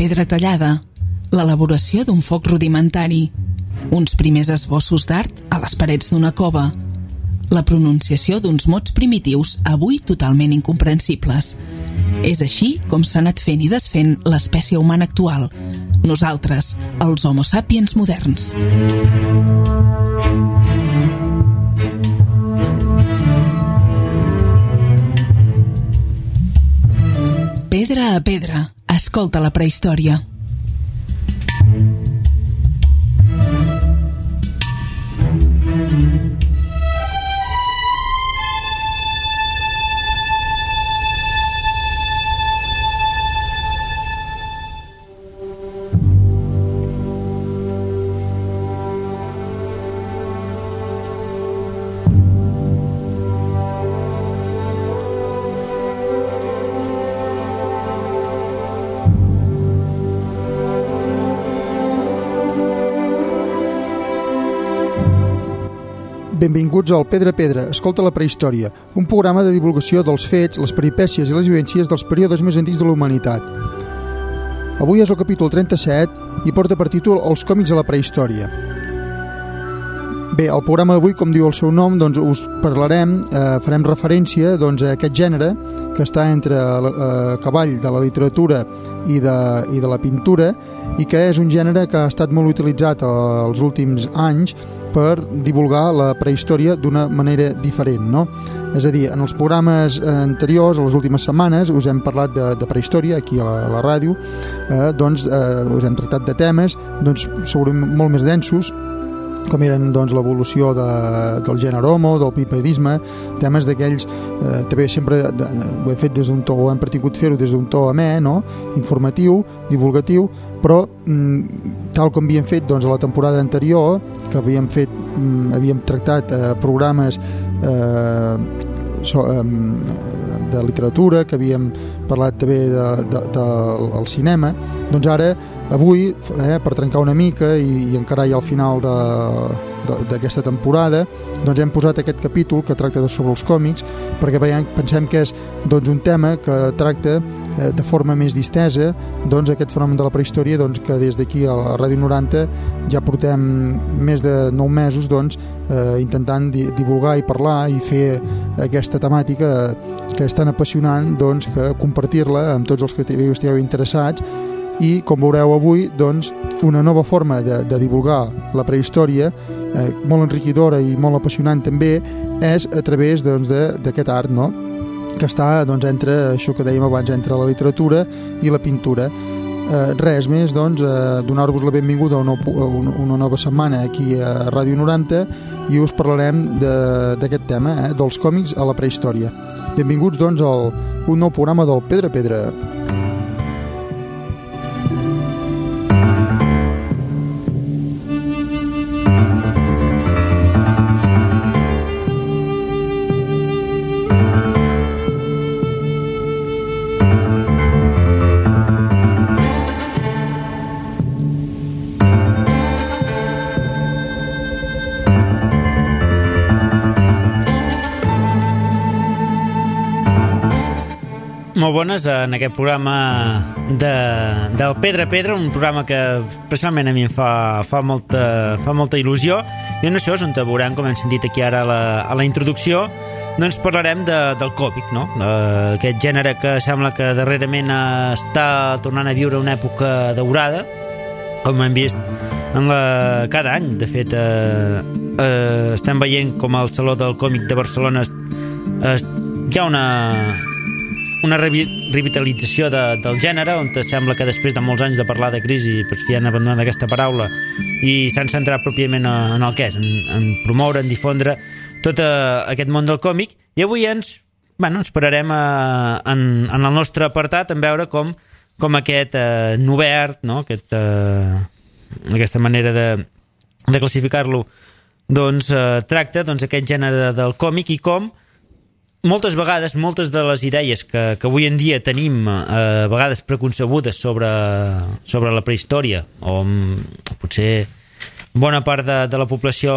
pedra tallada, l'elaboració d'un foc rudimentari, uns primers esbossos d'art a les parets d'una cova, la pronunciació d'uns mots primitius avui totalment incomprensibles. És així com s'ha anat fent i desfent l'espècie humana actual, nosaltres, els Homo sapiens moderns. Pedra a pedra, escolta la prehistòria. Benvinguts al Pedra a Pedra, escolta la prehistòria, un programa de divulgació dels fets, les peripècies i les vivències dels períodes més antics de la humanitat. Avui és el capítol 37 i porta per títol Els còmics a la prehistòria. Bé, el programa d'avui, com diu el seu nom, doncs us parlarem, farem referència a aquest gènere que està entre el cavall de la literatura i de la pintura i que és un gènere que ha estat molt utilitzat els últims anys per divulgar la prehistòria d'una manera diferent, no? És a dir, en els programes anteriors, a les últimes setmanes, us hem parlat de prehistòria aquí a la ràdio, us hem tractat de temes segurament molt més densos, com eren l'evolució del gènere Homo, del bipedisme, temes d'aquells, també sempre ho hem fet des d'un to, ho hem pretendut fer-ho des d'un to amè, no? Informatiu, divulgatiu, però tal com havíem fet a la temporada anterior, que havíem tractat programes de literatura, que havíem parlat també del cinema, doncs ara, avui, per trencar una mica i encarar ja al final d'aquesta temporada, doncs hem posat aquest capítol que tracta sobre els còmics, perquè pensem que és un tema que tracta de forma més distesa aquest fenomen de la prehistòria, que des d'aquí a la Ràdio 90 ja portem més de 9 mesos intentant divulgar i parlar i fer aquesta temàtica que és tan apassionant que compartir-la amb tots els que estigueu interessats. I, com veureu avui, una nova forma de divulgar la prehistòria, molt enriquidora i molt apassionant també, és a través d'aquest art, no? Que està entre això que dèiem abans, entre la literatura i la pintura. Res més, donar-vos la benvinguda a una nova setmana aquí a Ràdio 90 i us parlarem d'aquest tema, dels còmics a la prehistòria. Benvinguts, a un nou programa del Pedra a Pedra. Molt bones en aquest programa del Pedra a Pedra, un programa que personalment a mi em fa molta il·lusió, i en això és on veurem, com hem sentit aquí ara a la introducció, doncs parlarem del còmic, no? Aquest gènere que sembla que darrerament està tornant a viure una època daurada, com hem vist cada any. De fet, estem veient com al Saló del Còmic de Barcelona hi ha una revitalització del gènere, on sembla que després de molts anys de parlar de crisi hi han abandonat aquesta paraula i s'han centrat pròpiament en el que és, en promoure, en difondre tot aquest món del còmic. I avui ens pararem en el nostre apartat en veure com aquest novè art, no? Aquesta manera de classificar-lo tracta aquest gènere del còmic i com moltes vegades, moltes de les idees que avui en dia tenim a vegades preconcebudes sobre la prehistòria, o potser bona part de la població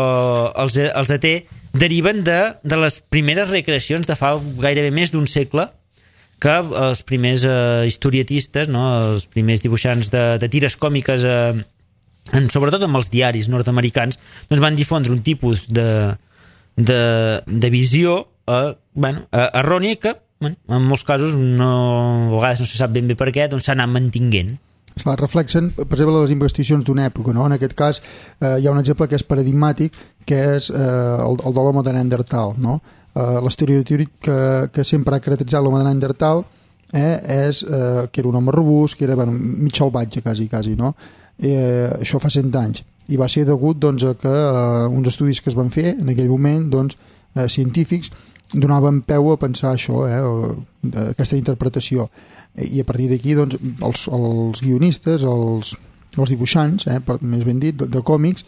els té, deriven de les primeres recreacions de fa gairebé més d'un segle que els primers historietistes, no? Els primers dibuixants de tires còmiques, sobretot amb els diaris nord-americans, doncs van difondre un tipus de visió errònia que, en molts casos, a vegades no se sap ben bé per què, doncs s'ha anat mantinguent. Clar, reflexen, per exemple, les investigacions d'una època, no? En aquest cas hi ha un exemple que és paradigmàtic, que és el de l'home de Neandertal, no? L'estereotip que sempre ha caracteritzat l'home de Neandertal és que era un home robust, que era mig salvatge quasi, no? Això fa 100 anys, i va ser degut doncs, a que uns estudis que es van fer en aquell moment, doncs, científics, donaven peu a pensar això, aquesta interpretació, i a partir d'aquí doncs, els guionistes, els dibuixants, més ben dit, de còmics,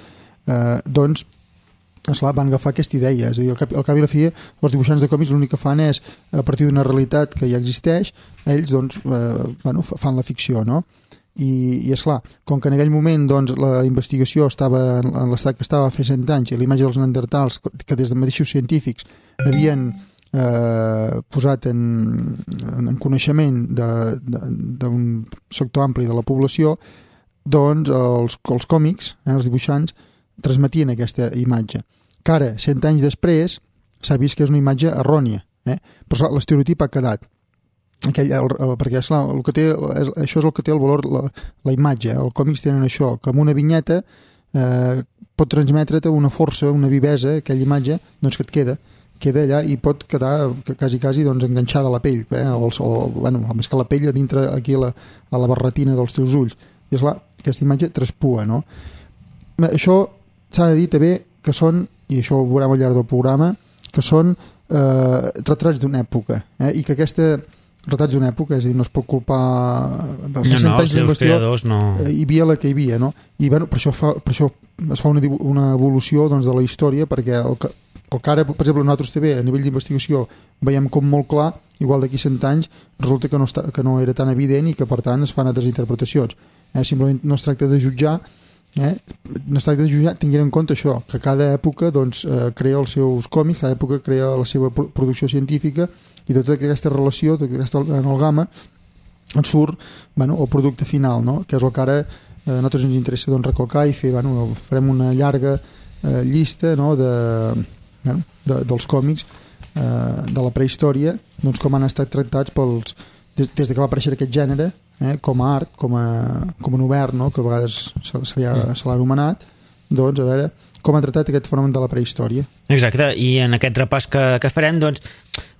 doncs esclar, van agafar aquesta idea, és a dir, al cap i la fi els dibuixants de còmics l'únic que fan és, a partir d'una realitat que ja existeix, ells doncs, fan la ficció, no? I esclar, com que en aquell moment doncs, la investigació estava en l'estat que estava fa 100 anys i la imatge dels neandertals que des de mateixos científics havien posat en coneixement d'un sector ampli de la població, doncs els còmics, els dibuixants, transmetien aquesta imatge. Que ara, 100 anys després, s'ha vist que és una imatge errònia, però l'estereotip ha quedat. Perquè esclar, això és el que té el valor, la imatge. Els còmics tenen això, que amb una vinyeta pot transmetre't una força, una vivesa, aquella imatge doncs, que et queda allà i pot quedar quasi doncs, enganxada a la pell, més que la pell a dintre aquí a la barretina dels teus ulls. I esclar, aquesta imatge traspua, no? Això s'ha de dir també que són, i això ho veurem al llarg del programa, que són retrats d'una època, i que aquesta retrats d'una època, és a dir, no es pot culpar els seus creadors no. Hi havia la que hi havia, no? I per això es fa una evolució doncs, de la història, perquè el que ara, per exemple, nosaltres també a nivell d'investigació veiem com molt clar, igual d'aquí 100 anys resulta que no era tan evident i que per tant es fan altres interpretacions. Simplement no es tracta de jutjar, no es tracta de jutjar tenint en compte això, que cada època doncs, crea els seus còmics, cada època crea la seva producció científica, i de tota aquesta relació, tota aquesta amalgama, en surt el producte final, no? Que és el que ara a nosaltres ens interessa doncs, recalcar i fer, farem una llarga llista, no? Dels còmics de la prehistòria, doncs, com han estat tractats des que va aparèixer aquest gènere, com a art, com a obert, no? Que a vegades se l'ha anomenat, doncs a veure com han tractat aquest fenomen de la prehistòria. Exacte, i en aquest repàs que farem, doncs,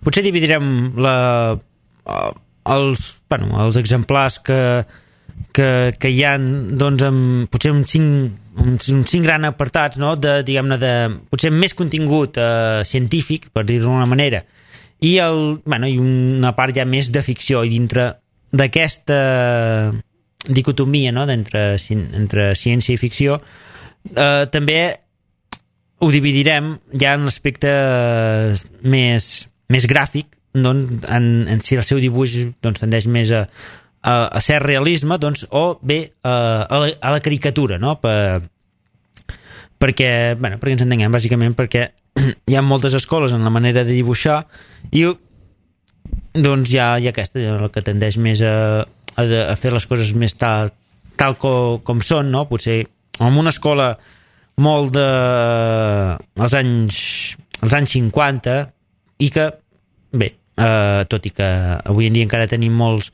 potser dividirem els exemplars que hi ha doncs, potser uns cinc grans apartats, no? Potser més contingut científic, per dir-ho d'una manera, i una part ja més de ficció, i dintre d'aquesta dicotomia, no? entre ciència i ficció, també ho dividirem ja en l'aspecte més gràfic, doncs, en si el seu dibuix doncs, tendeix més a ser realisme, doncs, o bé a la caricatura, no? Perquè ens entenguem, bàsicament perquè hi ha moltes escoles en la manera de dibuixar i doncs hi ha aquesta, la que tendeix més a fer les coses més tal com són, no? Potser en una escola molt als anys 50 i que, bé, tot i que avui en dia encara tenim molts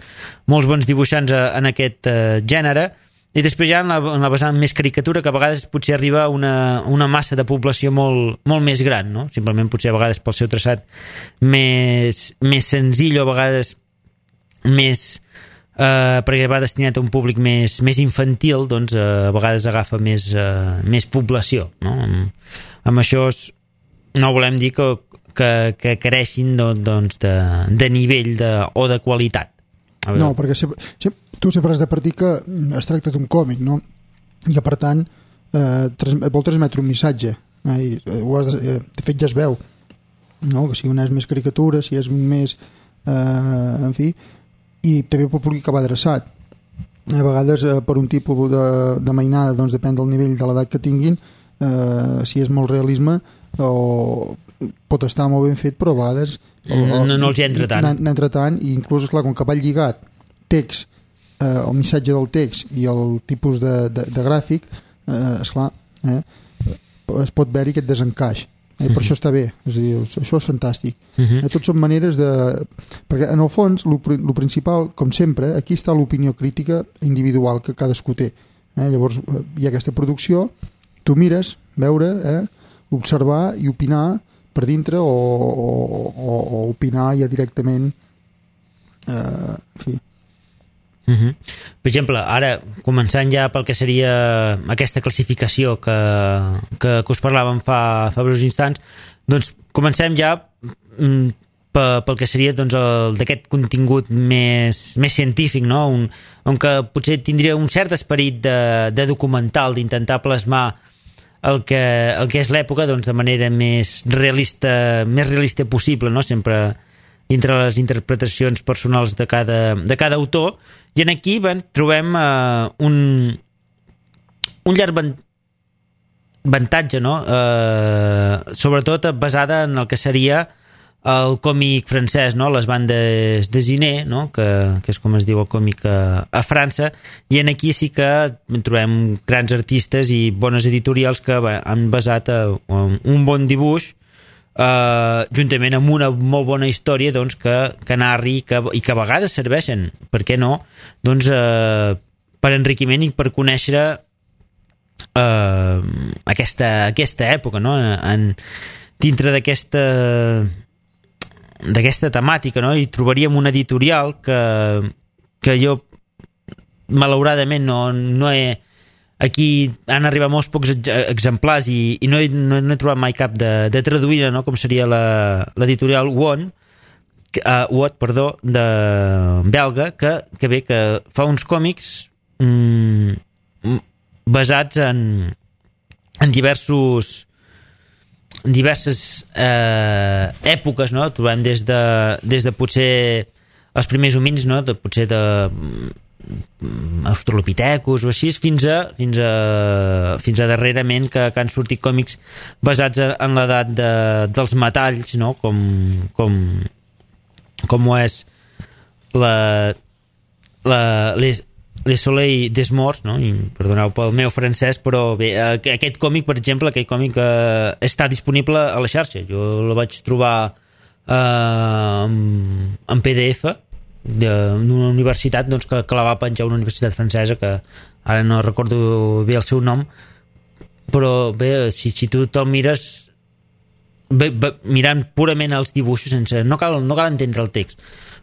bons dibuixants en aquest gènere, i després ja en la vessant més caricatura, que a vegades potser arriba a una massa de població molt més gran, no? Simplement potser a vegades pel seu traçat més senzill, o a vegades perquè va destinat a un públic més infantil, doncs a vegades agafa més població, no? Amb això no volem dir que creixin doncs, de nivell o de qualitat. No, perquè tu sempre has de partir que es tracta d'un còmic, no? I que per tant vol transmetre un missatge, de fet ja es veu, no? Que si una és més caricatura, si és més en fi, i també pel públic que va adreçat. A vegades per un tipus de mainada doncs depèn del nivell de l'edat que tinguin, si és molt realisme o pot estar molt ben fet, però a vegades no els hi entra tant. N'entra tant, i inclús, esclar, com que va lligat text, el missatge del text i el tipus de gràfic, esclar, es pot veure aquest desencaix. Per això està bé, és a dir, això és fantàstic. Tots són maneres de... Perquè en el fons, el principal, com sempre, aquí està l'opinió crítica individual que cadascú té. Llavors hi ha aquesta producció, tu mires, veure, observar i opinar per dintre o opinar ja directament, en fi. Per exemple, ara començant ja pel que seria aquesta classificació que us parlàvem fa breus instants, doncs comencem ja pel que seria doncs, d'aquest contingut més científic, no? On que potser tindria un cert esperit de documental, d'intentar plasmar el que és l'època doncs, de manera més realista possible, no? Sempre dintre les interpretacions personals de cada autor, i en aquí trobem un llarg avantatge, no? Sobretot basada en el que seria el còmic francès, no? Les bandes dessinées, no? que és com es diu el còmic a França, i en aquí sí que trobem grans artistes i bones editorials que han basat un bon dibuix juntament amb una molt bona història doncs, que narri i que a vegades serveixen, per què no, doncs, per enriquiment i per conèixer aquesta època, no? Dintre d'aquesta temàtica, no? I trobaríem una editorial que jo malauradament no he... Aquí han arribat molts pocs exemplars i no he trobat mai cap de traduïda, no? Com seria l'editorial Watt, de belga, que fa uns còmics basats en diverses èpoques, no? Trobem des de potser els primers homins, no? Potser de australopithecus o així, fins a darrerament que han sortit còmics basats en l'edat dels metalls, no? Com ho és Les Soleil des Morts, no? I perdoneu pel meu francès, però bé, aquest còmic, per exemple, està disponible a la xarxa. Jo la vaig trobar en PDF d'una universitat doncs, que la va penjar una universitat francesa, que ara no recordo bé el seu nom, però bé, si tu te'l mires mirant purament els dibuixos, no cal entendre el text,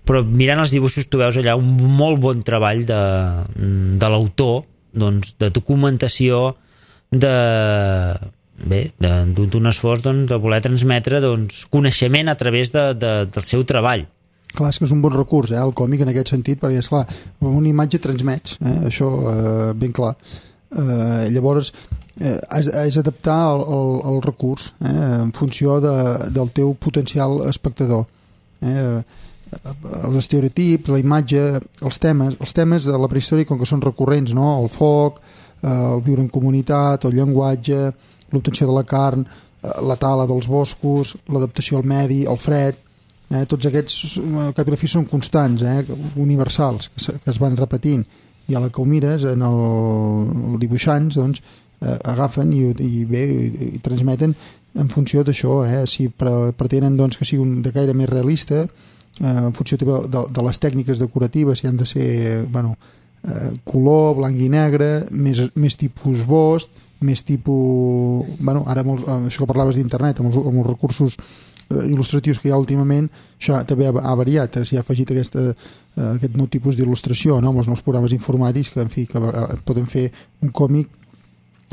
però mirant els dibuixos tu veus allà un molt bon treball de l'autor, doncs, de documentació, d'un esforç doncs, de voler transmetre doncs, coneixement a través del seu treball. Clar, és que és un bon recurs, el còmic en aquest sentit, perquè, esclar, una imatge transmets, això ben clar. Llavors, has d'adaptar el recurs en funció del teu potencial espectador. Els estereotips, la imatge, els temes de la prehistòria, com que són recurrents, no? El foc, el viure en comunitat, el llenguatge, l'obtenció de la carn, la tala dels boscos, l'adaptació al medi, el fred, tots aquests cap i la fi són constants, universals, que es van repetint, i a la que ho mires en els dibuixants doncs, agafen i transmeten en funció d'això, si pretenen doncs, que sigui de gaire més realista, en funció de les tècniques decoratives, si han de ser color, blanc i negre, més tipus bost, més tipus... ara això que parlaves d'internet, amb els recursos il·lustratius que hi ha últimament, això també ha variat, s'hi ha afegit aquest nou tipus d'il·lustració, no? Amb els nous programes informàtics que poden fer un còmic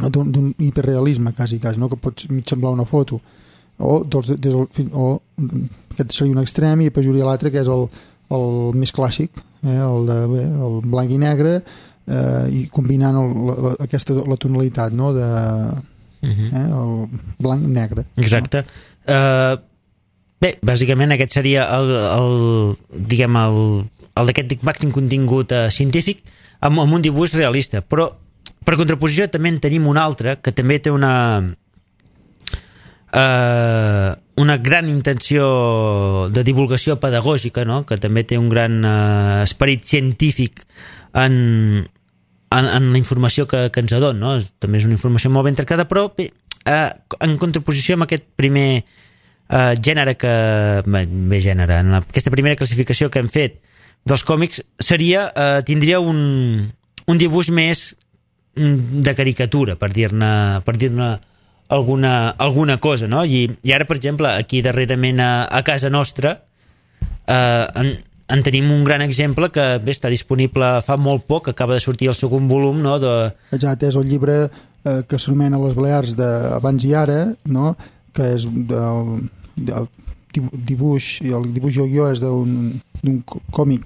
d'un hiperrealisme quasi, no? Que pot semblar una foto o aquest seria un extrem i després hi hauria l'altre que és el més clàssic, el blanc i negre, i combinant la tonalitat, no? El blanc-negre. Exacte. Bé, bàsicament aquest seria el d'aquest màxim contingut científic amb un dibuix realista, però per contraposició també en tenim un altre que també té una una gran intenció de divulgació pedagògica, no? Que també té un gran esperit científic en la informació que ens adona, no? També és una informació molt ben tractada, però bé, en contraposició amb aquest primer gènere en aquesta primera classificació que hem fet dels còmics, tindria un dibuix més de caricatura, per dir-ne alguna cosa, no? I ara, per exemple, aquí darrerament a casa nostra en tenim un gran exemple que bé, està disponible fa molt poc, acaba de sortir el segon volum, no? Exacte, és el llibre que s'anomena Les Balears d'Abans i Ara, no? Que és el dibuix i el dibuix i el guió és d'un còmic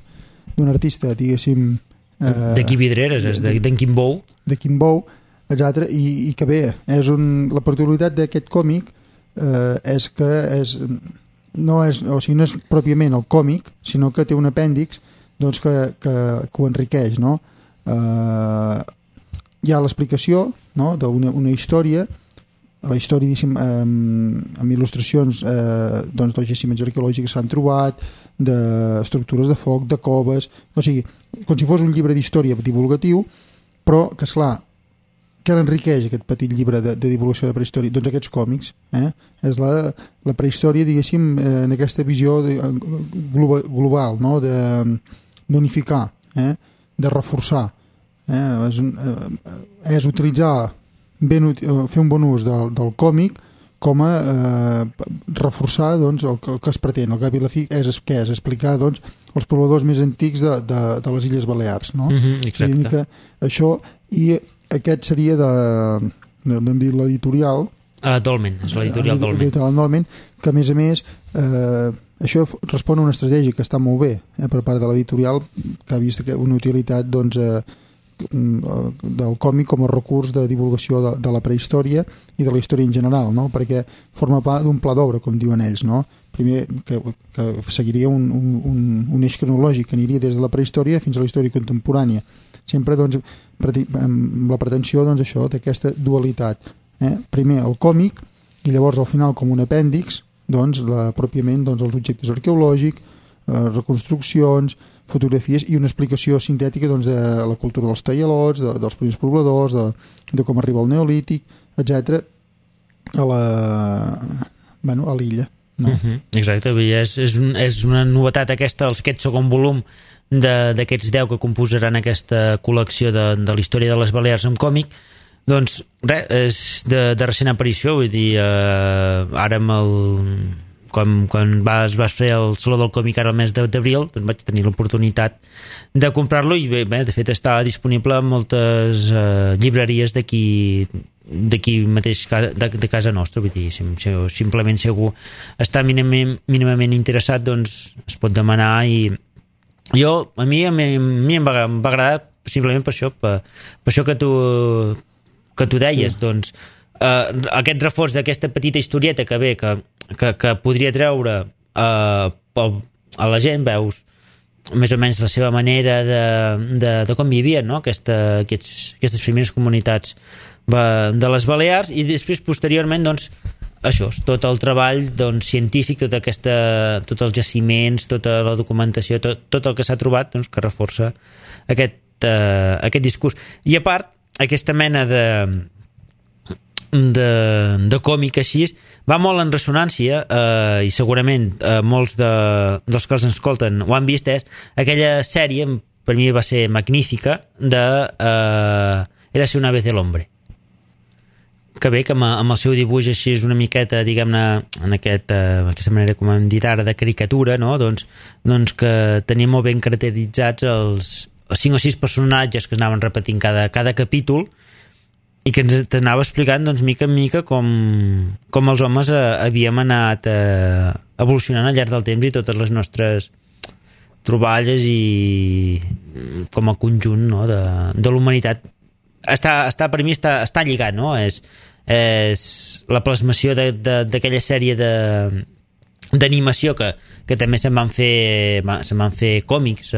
d'un artista, diguéssim, de Qui Vidreres, és d'en Quim Bou. De Quim Bou, exacte, i que bé, la particularitat d'aquest còmic és que no és pròpiament el còmic, sinó que té un apèndix doncs, que ho enriqueix, no? Hi ha l'explicació, no? D'una història, la història amb il·lustracions doncs, dels jaciments arqueològics que s'han trobat, d'estructures de foc, de coves, o sigui, com si fos un llibre d'història divulgatiu, però que, esclar, què l'enriqueix aquest petit llibre de divulgació de prehistòria? Doncs aquests còmics. És la prehistòria, diguéssim, en aquesta visió global, no? D'unificar, de reforçar. És utilitzar, fer un bon ús del còmic com a reforçar doncs, el que es pretén. El cap i la fi és explicar doncs, els pobladors més antics de les Illes Balears. No? Exacte. Això, i aquest seria n'hem dit l'editorial Dolmen, és l'editorial Dolmen, que a més això respon a una estratègia que està molt bé per part de l'editorial, que ha vist una utilitat doncs, del còmic com a recurs de divulgació de la prehistòria i de la història en general, no? Perquè forma part d'un pla d'obra, com diuen ells, no? Primer que seguiria un eix cronològic que aniria des de la prehistòria fins a la història contemporània, sempre doncs, amb la pretensió doncs, això d'aquesta dualitat, primer el còmic i llavors al final com un apèndix doncs, pròpiament doncs, els objectes arqueològics, reconstruccions, fotografies i una explicació sintètica doncs, de la cultura dels tallalots, dels primers pobladors, de com arriba el neolític, etc. a l'illa. No? Exacte, és una novetat aquest segon volum d'aquests 10 que composaran aquesta col·lecció de la història de les Balears en còmic. Doncs res, és de recent aparició, vull dir, ara amb quan vas fer el Saló del Còmic ara el mes d'abril, doncs vaig tenir l'oportunitat de comprar-lo i bé, de fet està disponible en moltes llibreries d'aquí mateix de casa nostra, vull dir, simplement si algú està mínimament interessat doncs es pot demanar i a mi em va agradar simplement per això que tu deies, sí. Doncs aquest reforç d'aquesta petita historieta que ve que podria treure a la gent, veus més o menys la seva manera de com vivien, no? Aquestes primeres comunitats de les Balears, i després posteriorment doncs això, tot el treball doncs, científic, tots els jaciments, tota la documentació, tot el que s'ha trobat doncs, que reforça aquest discurs. I a part, aquesta mena de còmic així va molt en ressonància i segurament molts dels que els escolten ho han vist, és aquella sèrie, per mi va ser magnífica, de Érase una vez el hombre, que bé que amb el seu dibuix així és una miqueta, diguem-ne, en aquesta manera, com hem dit ara, de caricatura, no? doncs que tenia molt ben caracteritzats els 5 o 6 personatges que es anaven repetint cada capítol i que ens anava explicant doncs, mica en mica com els homes havíem anat evolucionant al llarg del temps i totes les nostres troballes i com a conjunt, no? de la humanitat. Per mi està lligat, no? És la plasmació d'aquella sèrie d'animació que també se'n van fer còmics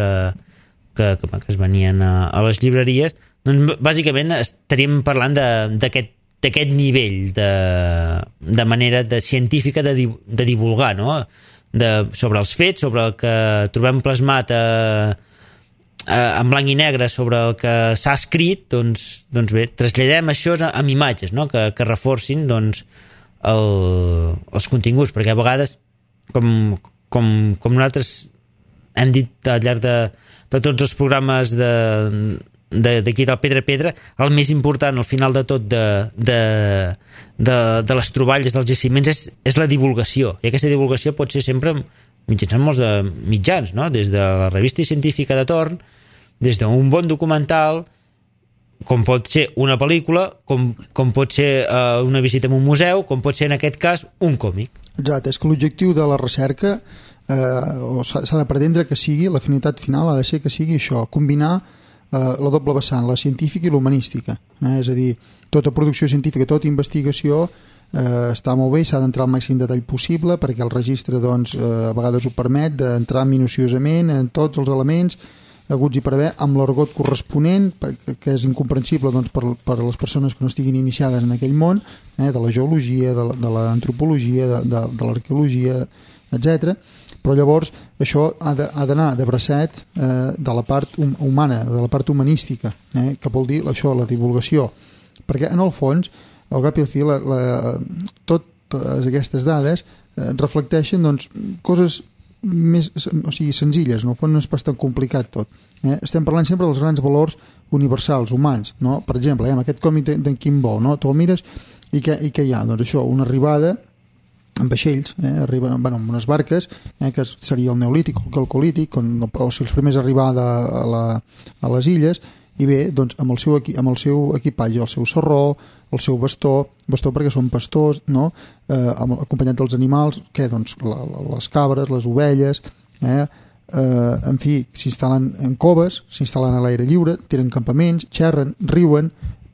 que es venien a les llibreries. Doncs bàsicament estaríem parlant d'aquest d'aquest nivell de manera científica de divulgar, no? Sobre els fets, sobre el que trobem plasmat en blanc i negre, sobre el que s'ha escrit, doncs bé, traslladem això amb imatges, no? Que reforcin doncs, els continguts, perquè a vegades com nosaltres hem dit al llarg de tots els programes d'aquí del Pedra, el més important al final de tot de les troballes dels jaciments és la divulgació, i aquesta divulgació pot ser sempre mitjançant molts de mitjans, no? Des de la revista científica de torn, des d'un bon documental, com pot ser una pel·lícula, com pot ser una visita a un museu, com pot ser en aquest cas un còmic. Exacte, és que l'objectiu de la recerca s'ha de pretendre que sigui, la finalitat final ha de ser que sigui això, combinar la doble vessant, la científica i l'humanística, és a dir, tota producció científica, tota investigació està molt bé, s'ha d'entrar al màxim detall possible perquè el registre doncs, a vegades ho permet d'entrar minuciosament en tots els elements haguts i per haver, amb l'argot corresponent que és incomprensible doncs, per a les persones que no estiguin iniciades en aquell món, de la geologia, de l'antropologia, de l'arqueologia, etc. Però llavors això ha d'anar de bracet de la part humana, de la part humanística, que vol dir això, la divulgació, perquè en el fons al cap i al fi totes aquestes dades reflecteixen doncs, coses més, o sigui, senzilles, en el fons no és pas tan complicat tot. Estem parlant sempre dels grans valors universals, humans, no? Per exemple, amb aquest còmic d'en Kimbo, no? Tu el mires i què hi ha? Doncs això, una arribada en vaixells, arriben amb unes barques, que seria el neolític o el calcolític, o si els primers a arribar a les illes, i bé, doncs, amb el seu equipatge, el seu sarró, el seu bastó perquè són pastors, no? Acompanyat dels animals, doncs, les cabres, les ovelles, en fi, s'instal·len en coves, s'instal·len a l'aire lliure, tenen campaments, xerren, riuen,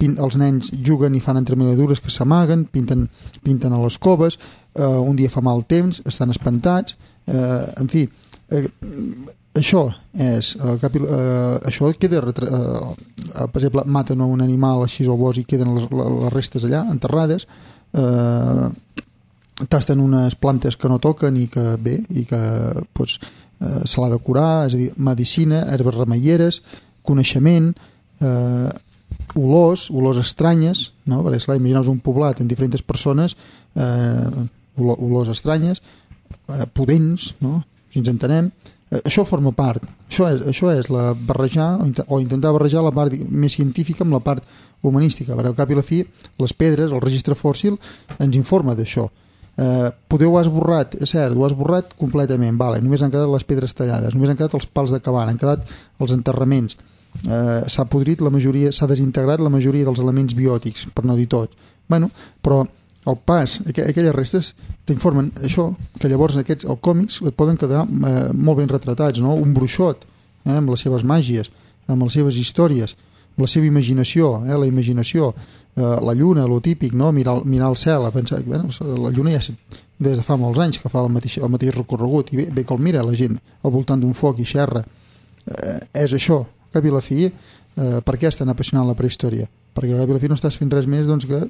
els nens juguen i fan entremaliadures que s'amaguen, pinten a les coves, un dia fa mal temps, estan espantats, en fi, això és això queda per exemple, maten un animal així al bosc i queden les restes allà enterrades, tasten unes plantes que no toquen i que bé, i que doncs, se l'ha de curar, és a dir, medicina, herbes remeieres, coneixement, olors estranyes, no? Perquè esclar, imagineu un poblat amb diferents persones, olors estranyes, pudents, no? Si ens entenem, això forma part, això és la barrejar o intentar barrejar la part més científica amb la part humanística, perquè al cap i la fi les pedres, el registre fòssil ens informa d'això. Poder ho ha esborrat, és cert, ho ha esborrat completament, vale, només han quedat les pedres tallades, només han quedat els pals de cabana, han quedat els enterraments, s'ha podrit la majoria, s'ha desintegrat la majoria dels elements biòtics, per no dir tots. Bueno, però el pas, aquelles restes t'informen això, que llavors els còmics et poden quedar molt ben retratats, no? Un bruixot, amb les seves màgies, amb les seves històries, amb la seva imaginació, la imaginació, la lluna, lo típic, no? Mirar el cel, a pensar, bueno, la lluna ja des de fa molts anys que fa el mateix recorregut, i bé que el mira la gent al voltant d'un foc i xerra. És això, al cap i la fi, per què és tan apassionant la prehistòria? Perquè al cap i la fi no estàs fent res més doncs, que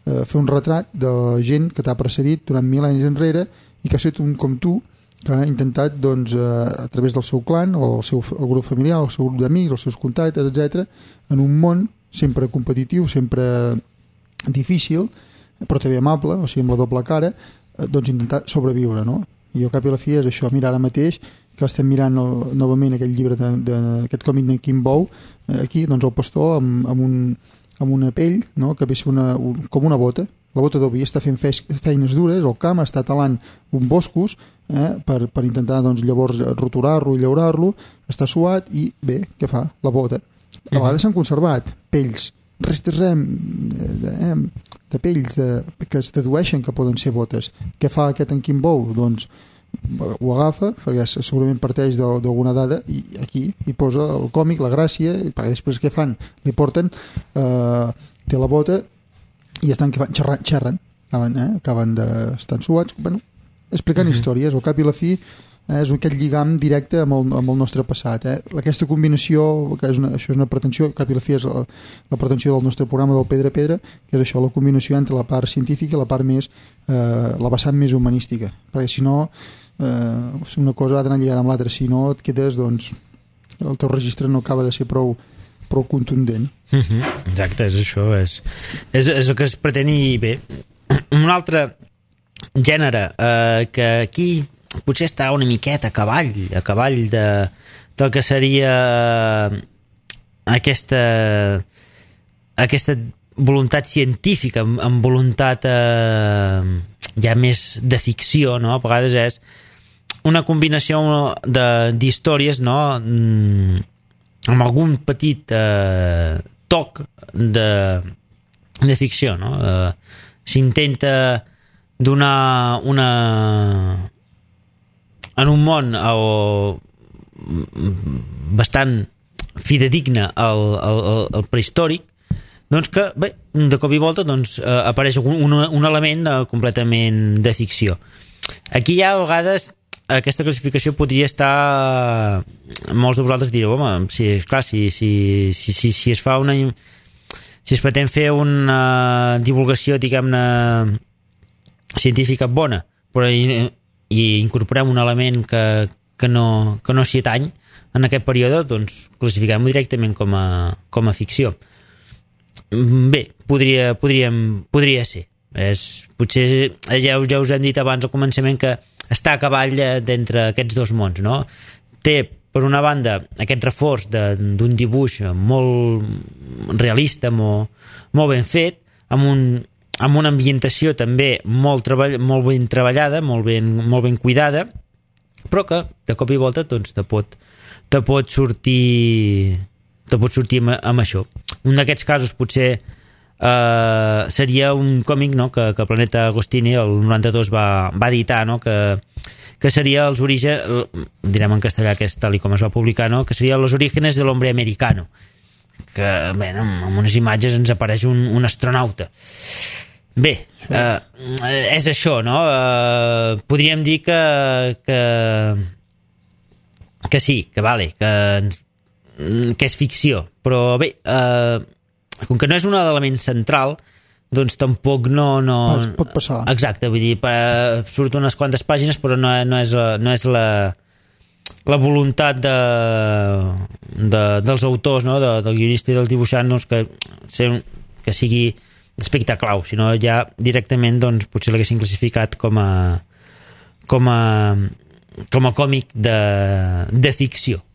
fer un retrat de gent que t'ha precedit durant mil·lennis enrere i que ha estat un com tu, que ha intentat doncs, a través del seu clan o el grup familiar, el seu grup d'amics, els seus contactes, etc., en un món sempre competitiu, sempre difícil, però també amable, o sigui, amb la doble cara, doncs intentar sobreviure, no? I al cap i la fi és això. Mira, ara mateix que estem mirant novament aquest llibre d'aquest còmic de Kimbo, aquí, doncs el pastor amb una pell, no? Que ve ser com una bota. La bota d'oví està fent feines dures al camp, està talant uns boscos per intentar doncs, llavors roturar-lo i llaurar-lo, està suat i bé, què fa? La bota. A vegades s'han conservat pells, restes de pells que es dedueixen que poden ser botes. Què fa aquest en Kimbo? Doncs ho agafa, perquè segurament parteix d'alguna dada, i aquí hi posa el còmic, la gràcia, perquè després què fan? Li porten, té la bota i estan xerren, acaben d'estar suats, bueno, explicant històries. Al cap i la fi és aquest lligam directe amb el nostre passat. Aquesta combinació, que això és una pretensió, cap i la fi és la pretensió del nostre programa del Pedra a Pedra, que és això, la combinació entre la part científica i la part més, la vessant més humanística, perquè si no una cosa ha d'anar lligada amb l'altra, si no et quedes, doncs el teu registre no acaba de ser prou contundent. Exacte, és això, és el que es pretén. I bé, un altre gènere que aquí potser està una miqueta a cavall del que seria aquesta voluntat científica amb voluntat ja més de ficció, no? A vegades és una combinació d'històries, no? Amb algun petit toc de ficció, no? S'intenta donar en un món bastant fidedigne al prehistòric, doncs que, bé, de cop i volta doncs, apareix un element completament de ficció. Aquí ja a vegades aquesta classificació podria estar, molts de vosaltres direu, home, si es fa si es pretén fer una divulgació, diguem-ne, científica bona, però i incorporem un element que no s'hi atany en aquest període, doncs classifiquem-ho directament com a ficció. Bé, podria ser. Potser ja us hem dit abans al començament que està a cavall d'entre aquests dos mons, no? Té, per una banda, aquest reforç d'un dibuix molt realista, molt ben fet, amb una ambientació també molt ben treballada, molt ben cuidada, però que de cop i volta doncs, te pot sortir amb això. Un d'aquests casos potser seria un còmic, no? que Planeta Agostini el 92 va editar, no? que seria els orígens, direm en castellà que és tal com es va publicar, no? Que seria Los orígenes del hombre americano, que bé, amb unes imatges ens apareix un astronauta. Bé, és això, no? Podríem dir que sí, que vale, que és ficció, però bé, com que no és un element central, doncs tampoc no... Pot passar. Exacte, vull dir, surt unes quantes pàgines, però no és la voluntat dels autors, no? Del guionista i del dibuixant, doncs, que sigui d'aspecte clau, sinó ja directament doncs, potser l'haguessin classificat com a còmic de ficció.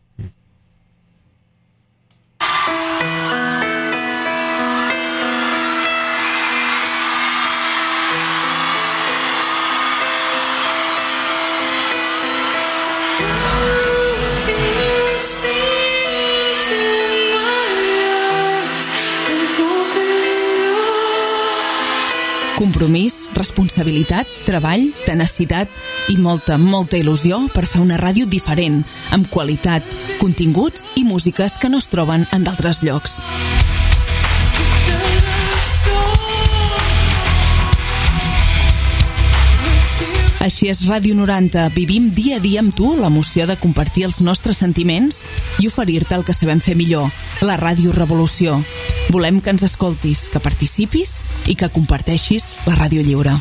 Compromís, responsabilitat, treball, tenacitat i molta il·lusió per fer una ràdio diferent, amb qualitat, continguts i músiques que no es troben en d'altres llocs. Així és Ràdio 90. Vivim dia a dia amb tu l'emoció de compartir els nostres sentiments i oferir-te el que sabem fer millor, la Ràdio Revolució. Volem que ens escoltis, que participis i que comparteixis la ràdio lliure.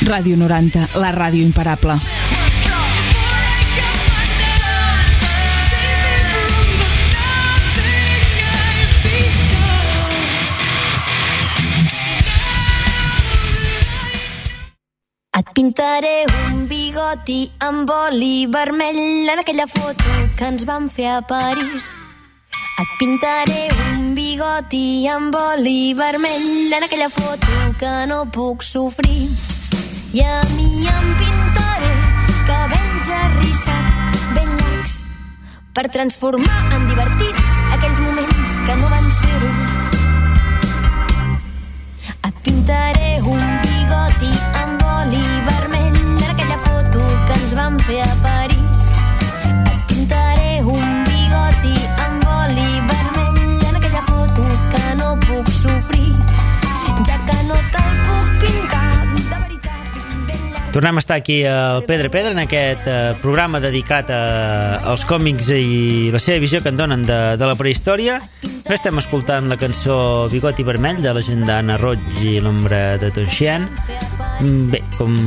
Ràdio 90, la ràdio imparable. Et pintaré un bigoti amb oli vermell en aquella foto que ens vam fer a París. Et pintaré un bigoti amb oli vermell en aquella foto que no puc sofrir. I a mi em pintaré cabells arrissats ben llargs per transformar en divertits aquells moments que no van ser-ho. Et pintaré un bigoti amb oli vermell en aquella foto que ens vam fer a París. Et pintaré un bigoti Tornem a estar aquí al Pedra en aquest programa dedicat als còmics i la seva visió que en donen de la prehistòria. Estem escoltant la cançó Bigoti Vermell de la gent d'Anna Roig i l'ombra de Tonxian. Bé, com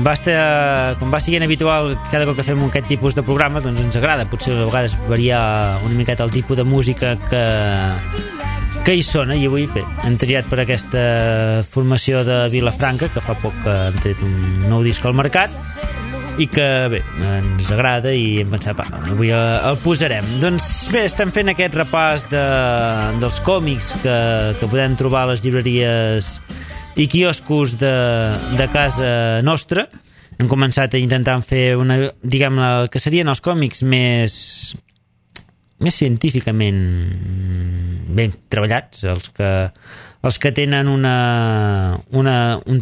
va siguent habitual cada cop que fem aquest tipus de programa, doncs ens agrada potser a vegades variar una miqueta el tipus de música que hi sona, i avui bé, hem triat per aquesta formació de Vilafranca, que fa poc que han tret un nou disc al mercat i que bé, ens agrada i hem pensat, avui el posarem. Doncs bé, estem fent aquest repàs dels còmics que podem trobar a les llibreries i quioscos de casa nostra. Hem començat a intentar fer diguem-ne, que serien els còmics més científicament ben treballats, els que tenen un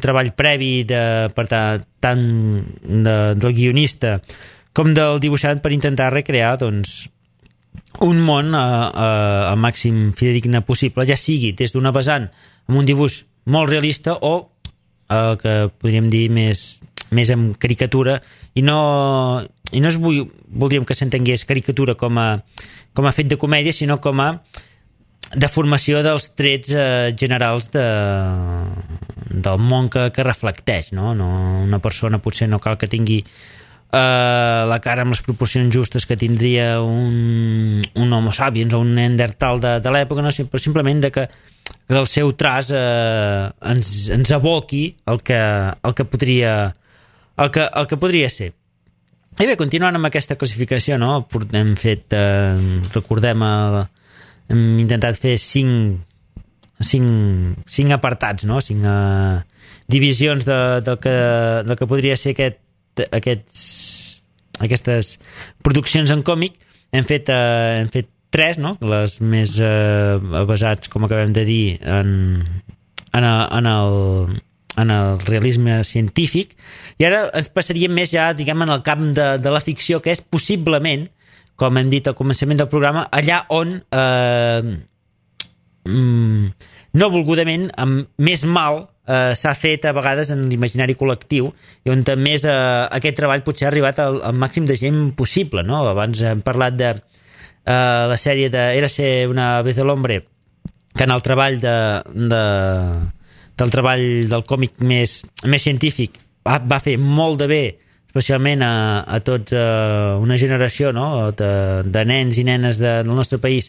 treball previ per tant del guionista com del dibuixant per intentar recrear doncs, un món al màxim fidedigne possible, ja sigui des d'una vessant amb un dibuix molt realista o el que podríem dir més en caricatura, i no voldríem que s'entengués caricatura com a fet de comèdia, sinó com a deformació dels trets generals del món que reflecteix, no? Una persona potser no cal que tingui la cara amb les proporcions justes que tindria un Homo sapiens o un Neandertal de l'època, no? Però simplement que el seu traç ens aboqui el que podria ser. I bé, continuant amb aquesta classificació, no? Hem fet, recordem, hem intentat fer cinc apartats, no? 5 divisions del que podria ser aquestes produccions en còmic. Hem fet 3, no? Les més basats, com acabem de dir, en el realisme científic, i ara ens passaríem més ja, diguem, en el camp de la ficció, que és possiblement, com hem dit al començament del programa, allà on no volgudament, amb més mal s'ha fet a vegades en l'imaginari col·lectiu, i on més aquest treball potser ha arribat al màxim de gent possible, no? Abans hem parlat de la sèrie de Érase una vez el hombre, que en el treball del treball del còmic més científic va fer molt de bé, especialment a tota una generació, no? de nens i nenes del nostre país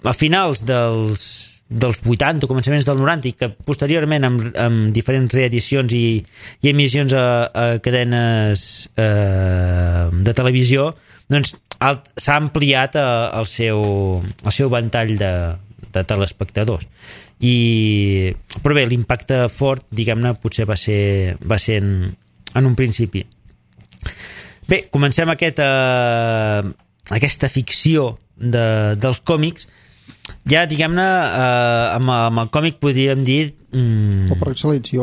a finals dels 80, començaments del 90, i que posteriorment amb diferents reedicions i emissions a cadenes de televisió, doncs s'ha ampliat el seu ventall de telespectadors. Però bé, l'impacte fort, diguem-ne, potser va ser en un principi. Bé, comencem aquesta ficció dels còmics. Ja, diguem-ne, amb el còmic podríem dir... O per excel·lència,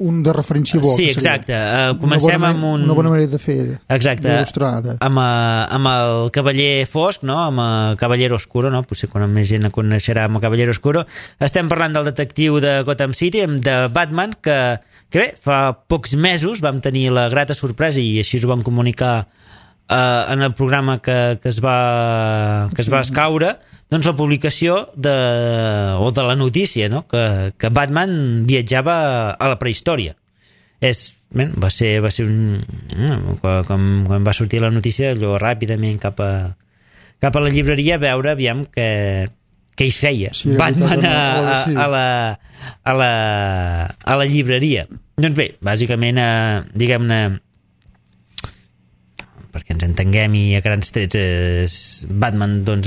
un de referència bo. Sí, exacte. Comencem amb una bona manera de fer, d'il·lustrar. Amb el Cavaller Fosc, no? Amb el Caballero Oscuro, no? Potser quan més gent coneixerà amb el Caballero Oscuro. Estem parlant del detectiu de Gotham City, de Batman, que bé, fa pocs mesos vam tenir la grata sorpresa, i així ho vam comunicar en el programa que es va escaure, doncs la publicació de la notícia, no? que Batman viatjava a la prehistòria. Va ser quan va sortir la notícia, allò ràpidament cap a la llibreria a veure aviam què hi feia Batman a la llibreria. Doncs bé, bàsicament, diguem-ne, perquè ens entenguem i a grans trets, Batman, doncs,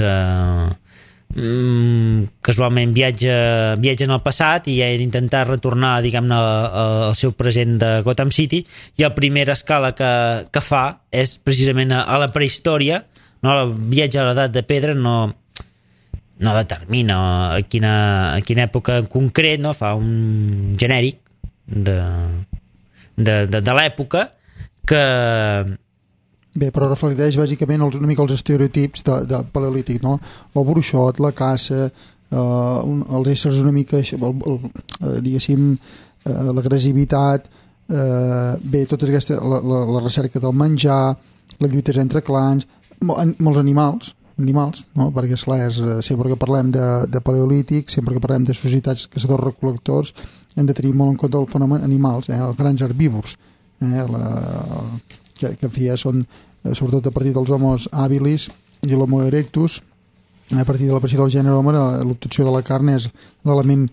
casualment viatja en el passat i ha d'intentar retornar, diguem-ne, al seu present de Gotham City, i la primera escala que fa és precisament a la prehistòria, no? El viatge a l'edat de pedra no determina a quina època en concret, no? Fa un genèric de l'època que... Bé, però reflecteix bàsicament una mica els estereotips de paleolític, no? El bruixot, la caça, els éssers una mica, diguéssim, l'agressivitat, bé, tota aquesta, la recerca del menjar, les lluites entre clans, molts animals, no? Perquè esclar, sempre que parlem de paleolític, sempre que parlem de societats caçadors-recol·lectors, hem de tenir molt en compte el fenomen animals, els grans herbívors, que en fi són, sobretot a partir dels homos habilis i l'homo erectus, a partir de l'aparició del gènere home, l'obtenció de la carn és l'element,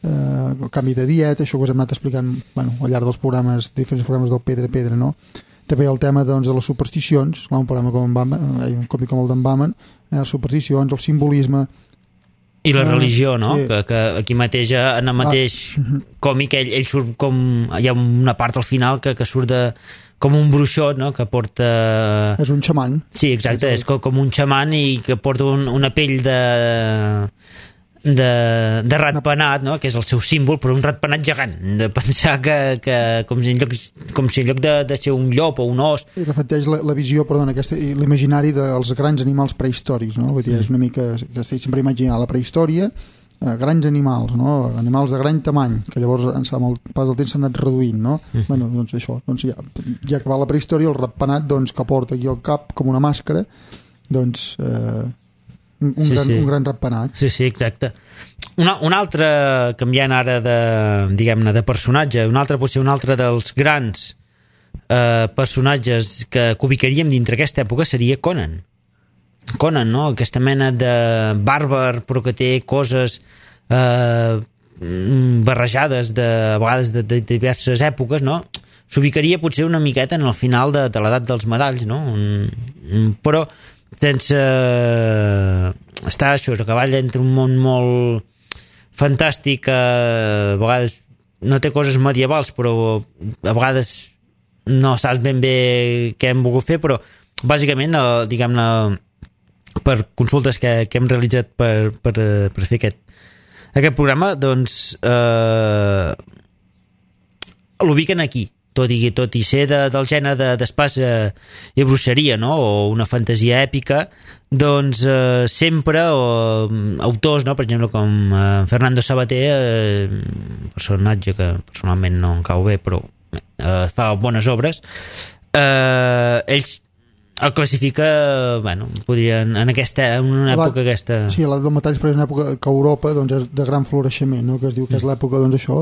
el canvi de dieta, això que us hem anat explicant al llarg dels programes, diferents programes del Pedra, no? També el tema de les supersticions, un programa com un còmic com el d'en Baman, les supersticions, el simbolisme i la religió, no? Sí. Que aquí mateix, en el mateix còmic, ell surt com... Hi ha una part al final que surt com un bruixot, no? Que porta... És un xaman. Sí, exacte, és com un xaman i que porta una pell de ratpenat, no? Que és el seu símbol, però un ratpenat gegant, de pensar que com si en lloc de ser un llop o un os... I reflecteix la visió, l'imaginari dels grans animals prehistòrics, no? Vull dir, és una mica que estic sempre imaginant la prehistòria, grans animals, no? Animals de gran tamany, que llavors amb el pas del temps s'han anat reduint, no? Bueno, doncs això, ja que va la prehistòria, el ratpenat, doncs, que porta aquí al cap com una màscara, doncs... un gran ratpenat. Sí, exacte. Un altre, canviant ara diguem-ne, de personatge, potser un altre dels grans personatges que ubicaríem dintre aquesta època seria Conan. Conan, no? Aquesta mena de bàrbar, però que té coses barrejades a vegades de diverses èpoques, no? S'ubicaria potser una miqueta en el final de l'edat dels medalls, no? Però sense estar això, a cavall entre un món molt fantàstic, a vegades no té coses medievals, però a vegades no saps ben bé què hem volgut fer, però bàsicament, diguem-ne, per consultes que hem realitzat per fer aquest programa, doncs l'ubiquen aquí, tot i ser del gènere d'espasa i bruixeria, no? O una fantasia èpica, doncs sempre autors, no? Per exemple, com Fernando Sabater, personatge que personalment no em cau bé, però fa bones obres, ells el classifica, podrien, en una època aquesta... Sí, l'edat del metall, però és una època que a Europa doncs, és de gran floreixement, no? Que es diu que és l'època, doncs, això,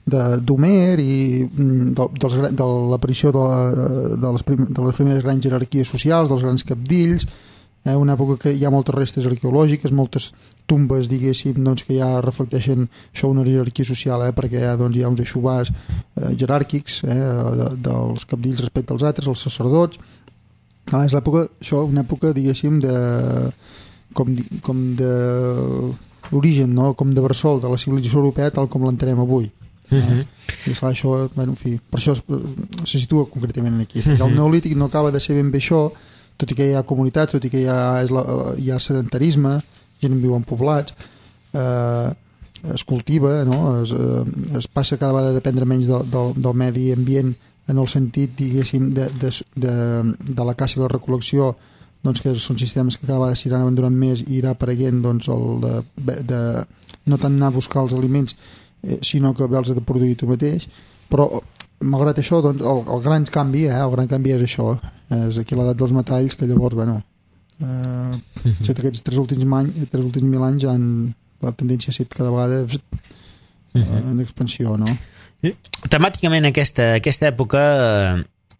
d'Homer i de l'aparició de les primeres grans jerarquies socials, dels grans capdills, una època que hi ha moltes restes arqueològiques, moltes tumbes, diguéssim, doncs, que ja reflecteixen això, una jerarquia social, perquè hi ha uns eixovars jeràrquics dels capdills respecte als altres, els sacerdots. És l'època, això, una època, diguéssim, com de l'origen, no? Com de bressol de la civilització europea tal com l'entenem avui. I clar, això, en fi, per això se situa concretament aquí. Perquè el neolític no acaba de ser ben bé això, tot i que hi ha comunitats, tot i que hi ha sedentarisme, gent viu en poblats, es cultiva, no? Es passa cada vegada a dependre menys del medi ambient en el sentit, diguéssim, de la caça i la recol·lecció, doncs, que són sistemes que cada vegada s'iran abandonant més i irà apareguent, doncs, el de no tant anar a buscar els aliments, sinó que els ha de produir tu mateix. Però malgrat això, doncs, el gran canvi és això, és aquí l'edat dels metalls, que llavors, aquests tres últims 1.000 anys la tendència ha estat cada vegada en expansió, no? Temàticament aquesta època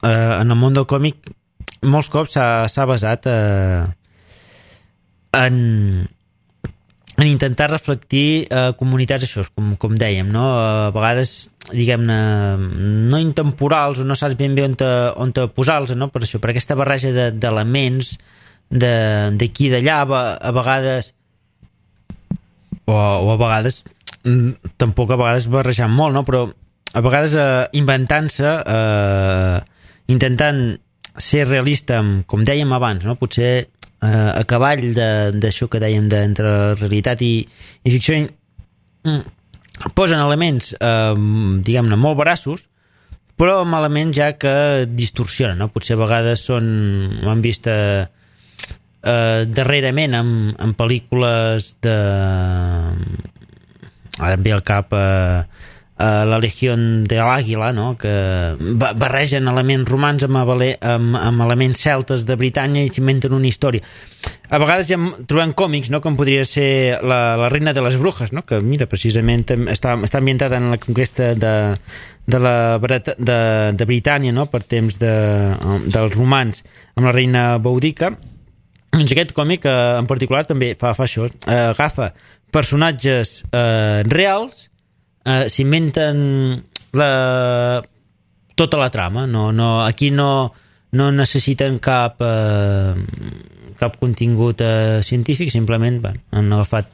en el món del còmic molts cops s'ha basat en intentar reflectir comunitats, això, com dèiem, no? A vegades, diguem-ne, no intemporals, o no saps ben bé on posar-los, no? Per això, per aquesta barreja d'elements d'aquí i d'allà, a vegades o a vegades tampoc a vegades barrejant molt, no? Però a vegades inventant-se, intentant ser realista, com dèiem abans, no? Potser a cavall d'això que dèiem entre realitat i ficció, posen elements diguem-ne molt veraços, però amb elements ja que distorsionen, no? Potser a vegades ho hem vist darrerament en pel·lícules ara em ve al cap la Legión de l'Àguila, no? Que barregen elements romans amb elements celtes de Britània i s'inventen una història. A vegades ja trobem còmics, no? Com podria ser la Reina de les Brujas, no? Que mira, precisament està ambientada en la conquesta de Britània, no? Per temps dels romans amb la reina Boudica. Doncs aquest còmic en particular també fa això, agafa personatges reals, s'inventen tota la trama, aquí no necessiten cap contingut científic, simplement han agafat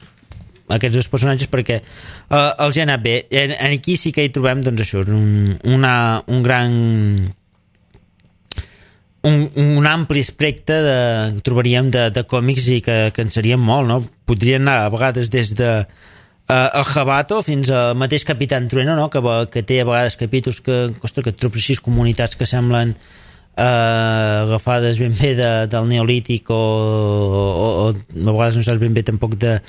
aquests dos personatges perquè els ha anat bé. Aquí sí que hi trobem, doncs això, un gran un ampli espectre trobaríem de còmics i que en serien molt, no? Podrien anar a vegades des de el Jabato fins al mateix Capitán Trueno, no? Que té a vegades capítols que trobes així comunitats que semblen agafades ben bé del Neolític o a vegades no saps ben bé tampoc de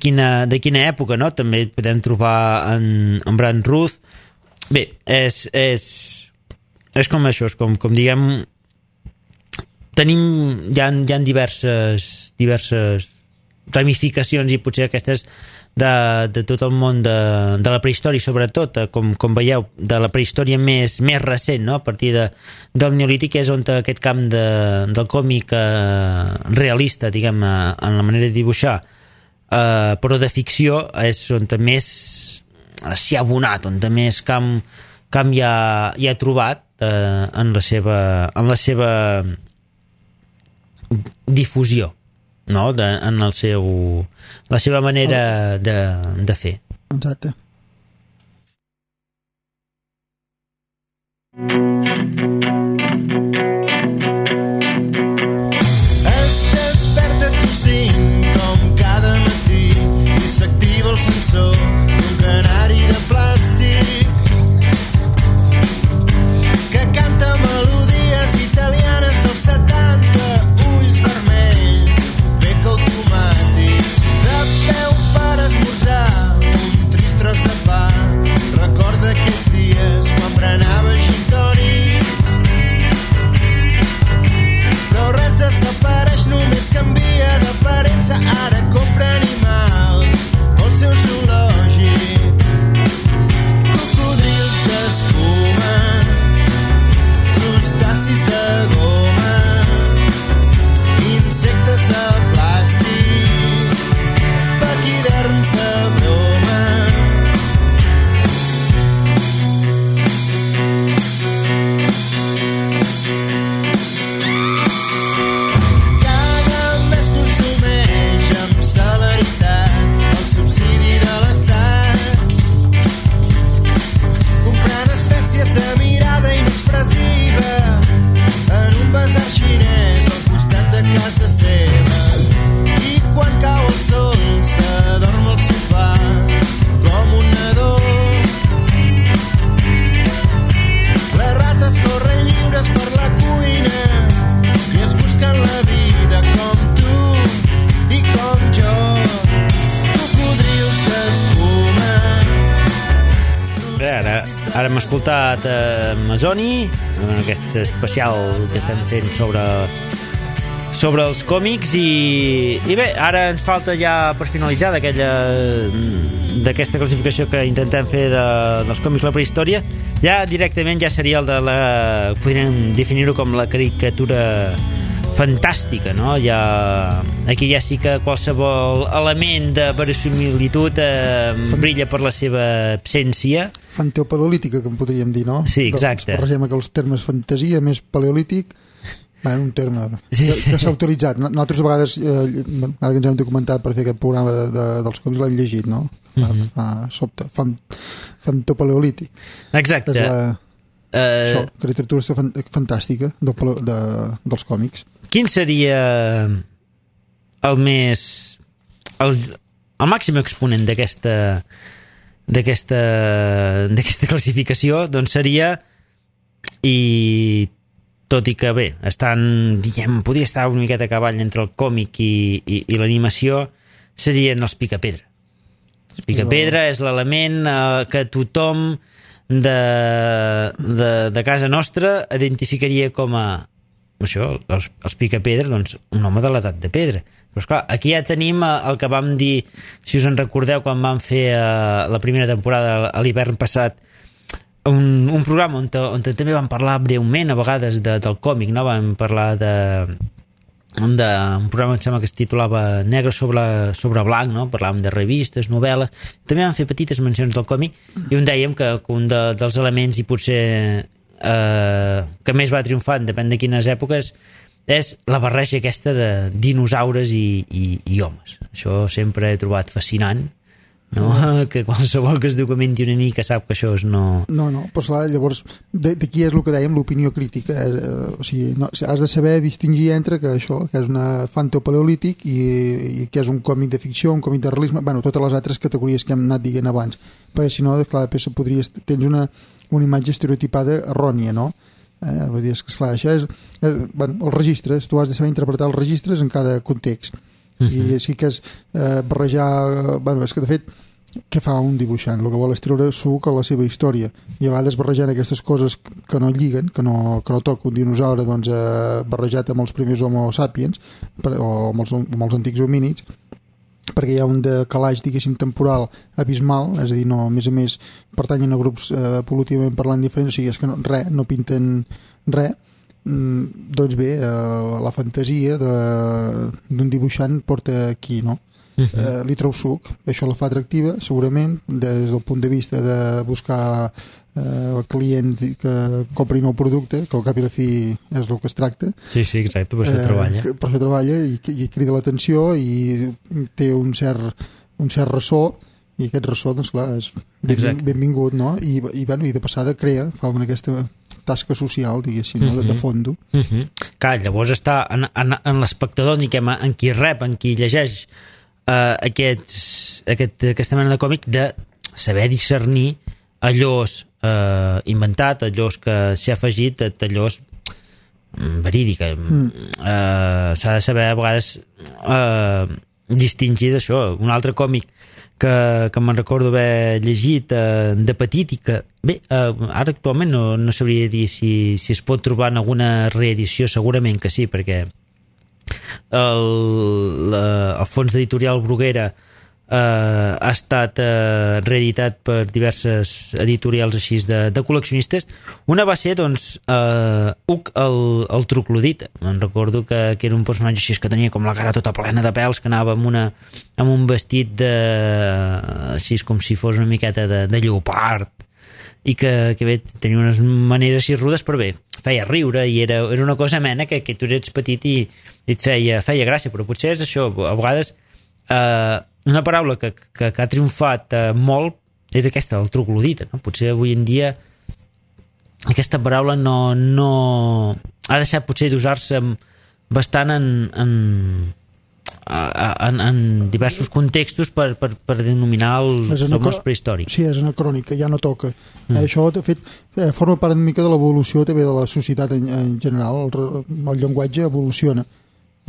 quina època, no? També podem trobar en Brand Ruth. Bé, és com això, és com diguem, hi ha diverses ramificacions, i potser aquestes de tot el món de la prehistòria, sobretot, com veieu, de la prehistòria més recent, no? A partir del Neolític és on aquest camp del còmic realista, diguem, en la manera de dibuixar, però de ficció, és on més s'hi ha abonat, on més camp ja ha trobat en la seva difusió, no? En la seva manera de fer. Exacte. Es desperta tu cinc com cada matí i s'activa el sensor d'un canari de plàstic que canta melodies italianes dels 70, ulls vermells, bec automàtic, de peu per esmorzar un trist tros de pa. Recorda aquells dies quan berenava gin tònics, però res desapareix, només canvia d'aparença. Ara compra animals pel seu zoològic, cocodrils d'espuma, crustacis de goma, insectes de plàstic, paquiderms de broma. Cada mes consumeix amb celeritat el subsidi de l'Estat, comprant espècies de mirada inexpressiva en un basar xinès al costat de casa seva. I quan cau el sol s'adorm al sofà com un nadó. Les rates corren lliures per la cuina i es busquen la vida com tu i com jo. Cocodrils d'espuma. Bé, ara hem escoltat Masoni, en aquest especial que estem fent sobre els còmics, i bé, ara ens falta ja per finalitzar d'aquesta classificació que intentem fer dels còmics la prehistòria, ja directament ja seria podríem definir-ho com la caricatura fantàstica, no? Aquí ja sí que qualsevol element de verosimilitud brilla per la seva absència. Fanteopaleolítica, que en podríem dir, no? Sí, exacte. Barregem aquells termes fantasia més paleolític. Un terme que s'ha utilitzat. Nosaltres a vegades, ara que ens hem documentat per fer aquest programa dels còmics, l'hem llegit, no? Sobte, fantopaleolític. Exacte. Això, literatura fantàstica dels còmics. Quin seria el màxim exponent d'aquesta classificació? Doncs seria, i tot i que bé, podria estar una miqueta a cavall entre el còmic i l'animació, serien els Picapedra. El Picapedra és l'element que tothom de casa nostra identificaria com a això, els Picapedra, doncs un home de l'edat de pedra. Però esclar, aquí ja tenim el que vam dir, si us en recordeu, quan vam fer la primera temporada a l'hivern passat, un programa on també vam parlar breument a vegades del còmic, no? Vam parlar un programa que em sembla que es titulava Negre sobre blanc, no? Parlàvem de revistes, novel·les, també vam fer petites mencions del còmic i on dèiem que un dels elements i potser que més va triomfant, depèn de quines èpoques, és la barreja aquesta de dinosaures i homes. Això sempre he trobat fascinant, no? Que qualsevol que es documenti una mica sap que això és no... No, però clar, llavors d'aquí és el que dèiem, l'opinió crítica, o sigui, no, has de saber distingir entre que això, que és una fantopaleolític i que és un còmic de ficció, un còmic de realisme, bueno, totes les altres categories que hem anat dient abans, perquè si no, clar, tens una imatge estereotipada errònia, no? Vull dir, esclar, això és bueno, els registres, tu has de saber interpretar els registres en cada context. I sí que és barrejar, bueno, és que de fet què fa un dibuixant? El que vol és treure suc a la seva història i a vegades barrejant aquestes coses que no lliguen, que no toca un dinosaure doncs, barrejat amb els primers homo sapiens o amb els antics homínids, perquè hi ha un decalaix, diguéssim, temporal abismal, és a dir, no, a més pertanyen a grups evolutivament parlant diferents, o sigui, és que no pinten res. Doncs bé, la fantasia d'un dibuixant porta aquí, no? Li treu suc, això la fa atractiva segurament des del punt de vista de buscar el client que compri nou producte, que al cap i la fi és el que es tracta. Sí, exacte, per això treballa. Per això treballa i crida l'atenció i té un cert ressò, i aquest ressò, doncs clar, és benvingut, no? I de passada fa aquesta tasca social, diguéssim, de fondo. Clar, llavors està en l'espectador, en qui rep, en qui llegeix aquesta mena de còmic, de saber discernir allòs inventat, allòs que s'ha afegit, allòs verídica. S'ha de saber a vegades distingir d'això. Un altre còmic que me'n recordo haver llegit de petit i que, bé, ara actualment no sabria dir si es pot trobar en alguna reedició, segurament que sí, perquè el fons d'editorial Bruguera ha estat reeditat per diverses editorials així de col·leccionistes. Una va ser, doncs, Uc el Troclodita. Me'n recordo que era un personatge així que tenia com la cara tota plena de pèls, que anava amb un vestit així com si fos una miqueta de lleopard, i que bé, tenia unes maneres així rudes, però bé, feia riure i era una cosa amena que tu eres petit i et feia gràcia, però potser és això, a vegades una paraula que ha triomfat molt és aquesta, el troglodita, no? Potser avui en dia aquesta paraula no ha deixat potser d'usar-se bastant en diversos contextos per denominar els homes prehistòrics. Sí, és anacrònica, ja no toca. Això, de fet, forma part una mica de l'evolució també de la societat en general. El llenguatge evoluciona.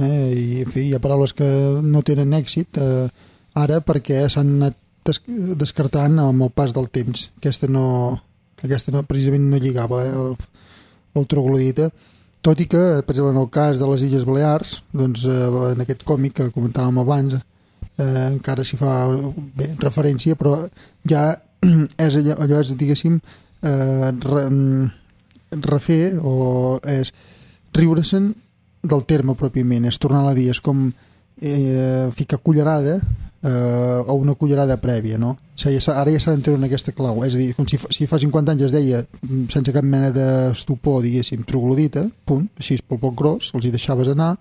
I, en fi, hi ha paraules que no tenen èxit ara perquè s'han anat descartant amb el pas del temps. Aquesta precisament no lligava el troglodita, tot i que, per exemple, en el cas de les Illes Balears, doncs, en aquest còmic que comentàvem abans, encara s'hi fa referència, però ja allò és, diguéssim, refer o és riure-se'n del terme pròpiament, és tornar a dir, és com ficar cullerada o una cullerada prèvia, no? O sigui, ara ja s'ha d'entreure en aquesta clau, és a dir, com si fa 50 anys es deia sense cap mena d'estupor, diguéssim, troglodita, punt, així pel poc gros, els hi deixaves anar,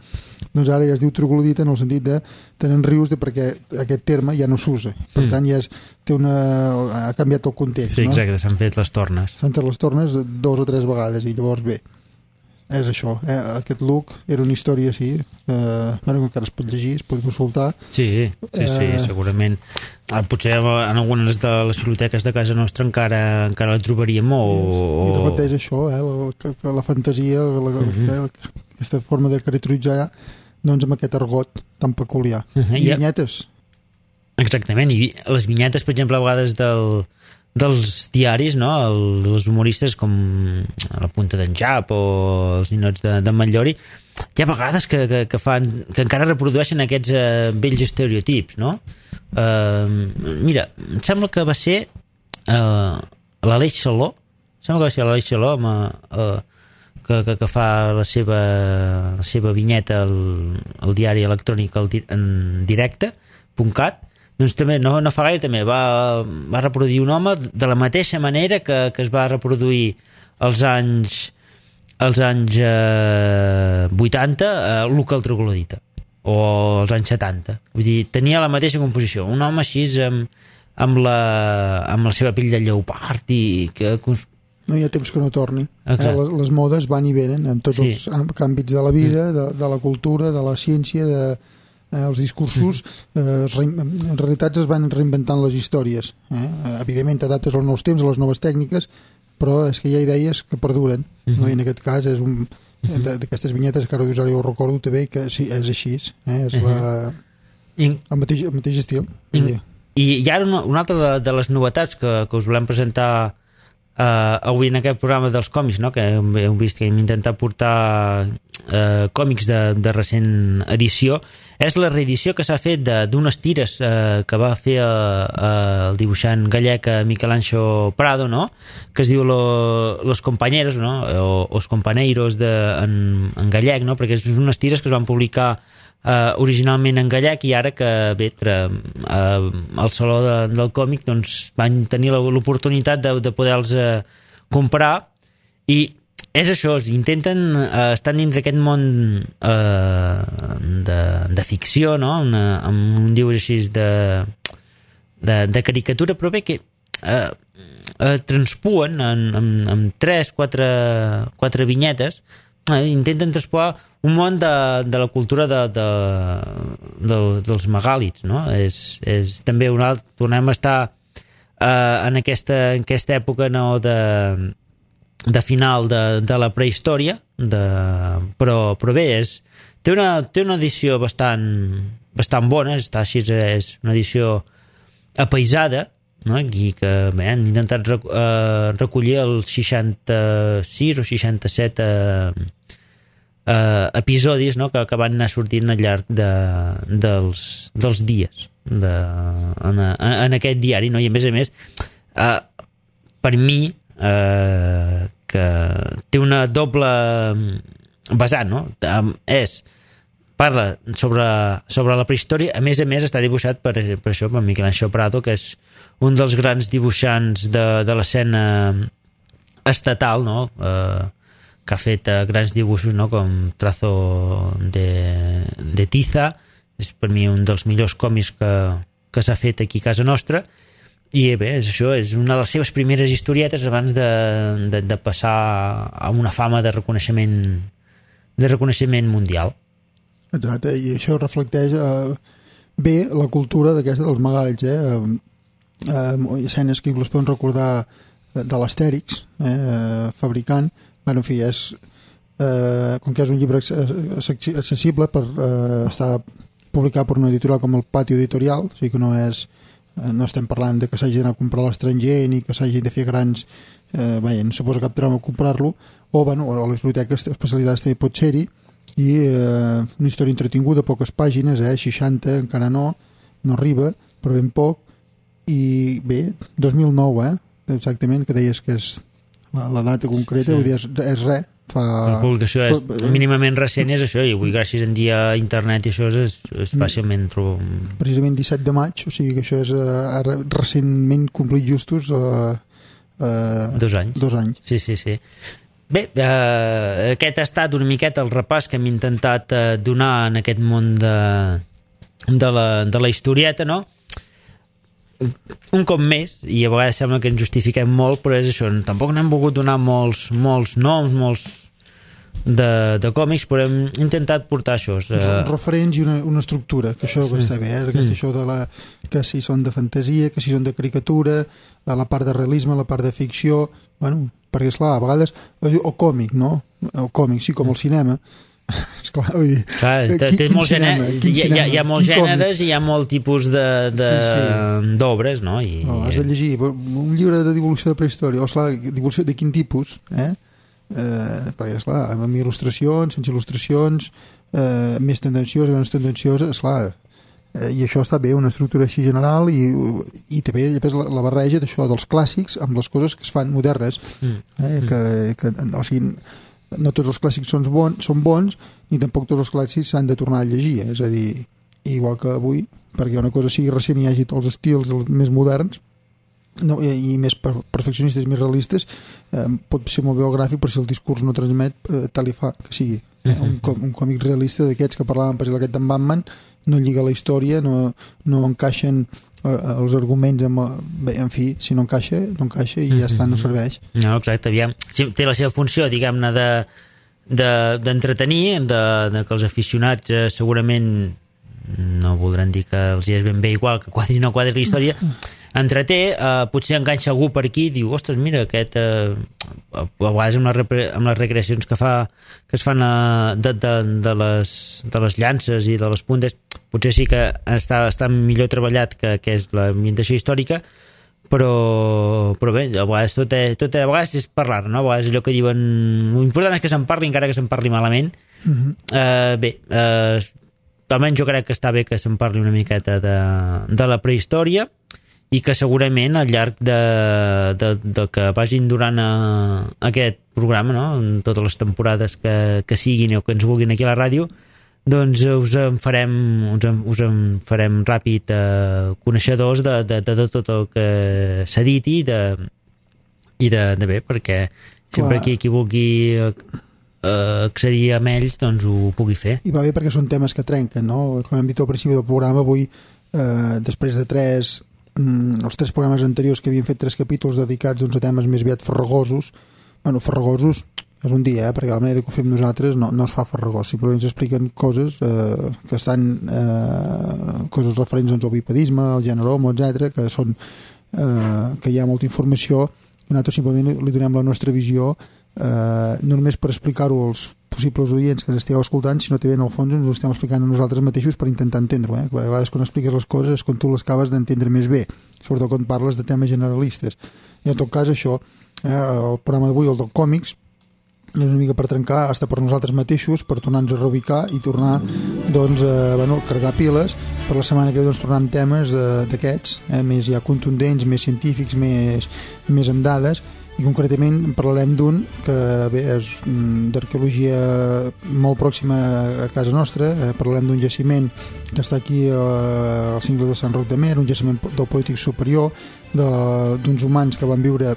doncs ara ja es diu troglodita en el sentit de tenen rius perquè aquest terme ja no s'usa, per tant ja ha canviat el context. Sí, exacte, no? S'han fet les tornes. S'han fet les tornes 2 o 3 vegades i llavors bé, és això, aquest look era una història així, encara es pot llegir, es pot consultar. Sí, segurament. Potser en algunes de les biblioteques de casa nostra encara la trobaríem I repeteix això, que la fantasia, aquesta forma de caracteritzar doncs amb aquest argot tan peculiar. I vinyetes. Exactament, i les vinyetes, per exemple, a vegades dels diaris, no? Els humoristes com a la punta d'en Jap o els ninots de Matllori, hi ha vegades que encara reprodueixen aquests vells estereotips, no? Mira, em sembla que va ser l'Aleix Saló, que fa la seva vinyeta al diari electrònic en directe.cat. Doncs també, no fa gaire, també va reproduir un home de la mateixa manera que es va reproduir als anys 80 Luca el Troglodita, o als anys 70. Vull dir, tenia la mateixa composició. Un home així amb la seva pell de lleopard i que... No hi ha temps que no torni. Les modes van i venen en tots els àmbits de la vida, de la cultura, de la ciència, els discursos. En realitat es van reinventant les històries. Evidentment t'adaptes als nous temps, a les noves tècniques, però és que hi ha idees que perduren. I en aquest cas és d'aquestes vinyetes que ara dius, ara jo ho recordo també, que sí, és així. És el mateix estil. I ara una altra de les novetats que us volem presentar avui en aquest programa dels còmics, no? Que heu vist que hem intentat portar còmics de recent edició, és la reedició que s'ha fet d'unes tires que va fer el dibuixant gallec Miquel-Anxo Prado, no? Que es diu Los Compañeros, no? O Os Companeiros en gallec, no? Perquè són unes tires que es van publicar originalment en gallec i ara que bé, al Saló del Còmic doncs, van tenir l'oportunitat de poder-los comprar i és això, intenten estar dintre aquest món de ficció, no? Amb un dibuix així de caricatura, però bé que transpuen amb 3-4 vinyetes, intenten transpoar un món de la cultura dels megàlits, no? És també tornem a estar en aquesta època, no, de final de la prehistòria, però bé, té una edició bastant bona, està així, és una edició apaisada, no? I que bé, han intentat recollir els 66 o 67 episodis, no? que van anar sortint al llarg dels dies en aquest diari, no? I a més per mi que té una doble vessant, no? Parla sobre la prehistòria, a més està dibuixat per això, per Miquel-Anxo Prado, que és un dels grans dibuixants de l'escena estatal, no? Que ha fet grans dibuixos, no? Com Trazo de Tiza, és per mi un dels millors còmics que s'ha fet aquí a casa nostra, i bé, és això, és una de les seves primeres historietes abans de passar a una fama de reconeixement mundial. Exacte, i això reflecteix bé la cultura d'aquesta dels megàlits, escenes que inclús poden recordar de l'Astèrix, fabricant. Bueno, en fi, com que és un llibre accessible per estar publicat per una editorial com el Patio Editorial, o sigui que no estem parlant de que s'hagi d'anar a comprar a l'estranger ni que s'hagi de fer grans no suposa cap drama comprar-lo, o a la biblioteca especialitats també pot ser-hi, i una història entretinguda, poques pàgines, 60 encara no arriba, però ben poc, i bé, 2009, exactament, que deies que és la data concreta, vull dir, és res. La publicació és mínimament recent, és això, i avui gràcies a internet i això és fàcilment precisament 17 de maig, o sigui que això és recentment complit justos 2 anys. 2 anys. Sí. Bé, aquest ha estat una miqueta el repàs que hem intentat donar en aquest món de la historieta, no? Un cop més, i a vegades sembla que ens justifiquem molt, però és això, tampoc n'hem volgut donar molts noms, molts de còmics, però hem intentat portar això. Referents i una estructura, que això està bé, això que si són de fantasia, que si són de caricatura, la part de realisme, la part de ficció, bueno, perquè esclar, a vegades el còmic, no? El còmic, sí, com el cinema, Esclar, vull dir, té molts gèneres, hi ha molts gèneres i hi ha molt tipus d'obres, no? Has de llegir un llibre de divulgació de prehistòria, o esclar, divulgació de quin tipus, perquè esclar, amb il·lustracions, sense il·lustracions, més tendenciós, menys tendenciós, esclar, i això està bé, una estructura així general i també la barreja d'això dels clàssics amb les coses que es fan modernes, o sigui, no tots els clàssics són bons ni tampoc tots els clàssics s'han de tornar a llegir, és a dir, igual que avui, perquè una cosa sigui recent i hi hagi tots els estils més moderns i més perfeccionistes, més realistes, pot ser molt biogràfic, però si el discurs no transmet, tal i fa que sigui. Un còmic realista d'aquests que parlàvem, per exemple, aquest d'en Batman, no lliga la història, no encaixen els arguments bé, en fi, si no encaixa, no encaixa i ja està, no serveix. No, exacte, aviam, té la seva funció, diguem-ne, d'entretenir, de que els aficionats segurament no voldran dir que els és ben bé igual que quadri o no quadri la història, entreté, potser enganxa algú per aquí i diu, ostres, mira, aquest a vegades amb les recreacions que es fan de les llances i de les puntes, potser sí que està millor treballat que és l'ambientació històrica, però bé, a vegades tot a vegades és parlar, no? A vegades allò que diuen l'important és que se'n parli encara que se'n parli malament. Bé, almenys jo crec que està bé que se'n parli una miqueta de la prehistòria i que segurament al llarg de que vagin durant aquest programa, no? En totes les temporades que siguin o que ens vulguin aquí a la ràdio, doncs us en farem ràpid coneixedors de tot el que s'ha dit i de bé, perquè sempre qui vulgui accedir a ells doncs ho pugui fer. I va bé perquè són temes que trenquen, no? Com hem dit al principi del programa, avui després de els 3 programes anteriors que havien fet 3 capítols dedicats a temes més aviat farragosos, farragosos és un dia, perquè la manera que ho fem nosaltres no es fa farragós, simplement ens expliquen coses que estan coses referents al bipedisme, al gènere homo, etc, que són que hi ha molta informació i nosaltres simplement li donem la nostra visió, no només per explicar-ho als possibles oients que ens estigueu escoltant, sinó també en el fons ens ho estem explicant a nosaltres mateixos per intentar entendre-ho, perquè a vegades quan expliques les coses és quan tu les acabes d'entendre més bé, sobretot quan parles de temes generalistes. I en tot cas això, el programa d'avui, el dels còmics, és una mica per trencar, hasta per nosaltres mateixos, per tornar-nos a reubicar i tornar a carregar piles per la setmana que ve, tornar amb temes d'aquests, més ja contundents, més científics, més amb dades, i concretament parlarem d'un que bé, és d'arqueologia molt pròxima a casa nostra. Parlarem d'un jaciment que està aquí al cingle de Sant Roc de Mer, un jaciment del Polític superior, d'uns humans que van viure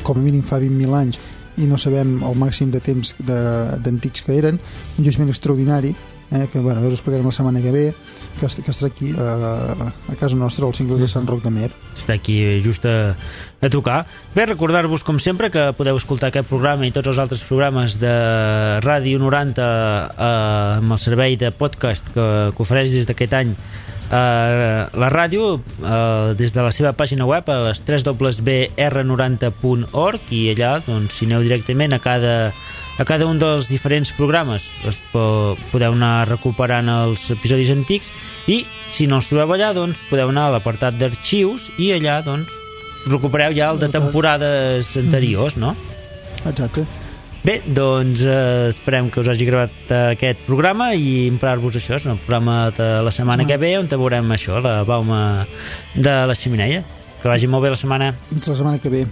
com a mínim fa 20.000 anys i no sabem el màxim de temps d'antics que eren, un jaciment extraordinari, que us explicarem la setmana que ve, que estarà aquí a casa nostra, al cingle de Sant Roc de Mer. Està aquí just a tocar. Bé, recordar-vos com sempre que podeu escoltar aquest programa i tots els altres programes de Ràdio 90 amb el servei de podcast que ofereix des d'aquest any la ràdio des de la seva pàgina web a les www.r90.org i allà doncs, si aneu directament a cada un dels diferents programes podeu anar recuperant els episodis antics i si no els trobeu allà doncs podeu anar a l'apartat d'arxius i allà doncs recupereu ja el de temporades anteriors, no? Exacte. Bé, doncs esperem que us hagi agradat aquest programa i emprar-vos això, és el programa de la setmana que ve on veurem això, la bauma de la xemeneia. Que vagi molt bé la setmana. Fins la setmana que ve.